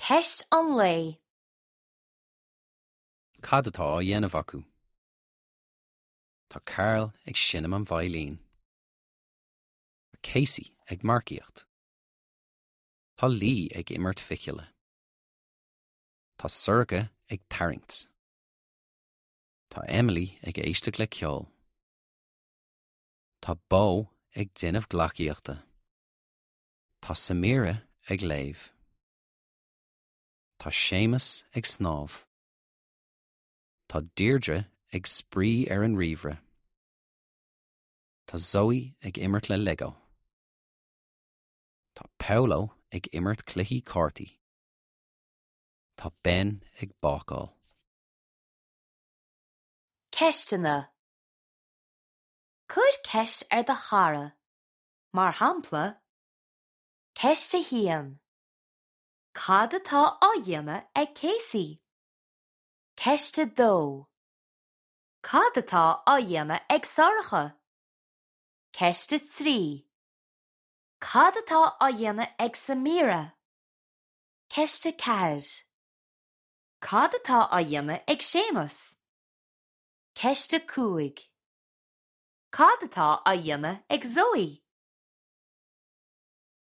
Ceist an lae. Cad atá á dhéanamh acu? Tá Karl ag seinm an veidhlín. Tá Casey ag marcaíocht. Tá Lee ag imirt fichille. Tá Sorcha ag tarraingt. Tá Emily ag éisteacht le ceol. Tá Bo ag déanamh gleacaíochta. Tá Samira ag léamh. Tá Séamus ag snámh. Tá Deirdre ag spraoi ar an ríomhaire. Tá Zoe ag imirt le Lego. Tá Paolo ag imirt cluichí cártaí. Tá Ben ag bácáil. Ceisteanna Cuir ceist ar do chara. Mar shampla, Ceist 1. Cad atá á dhéanamh ag Casey? Ceist 2. Cad atá á dhéanamh ag Sorcha? Ceist 3. Cad atá á dhéanamh ag Samira? Ceist 4. Cad atá á dhéanamh ag Séamus? Ceist 5. Cad atá á dhéanamh ag Zoe?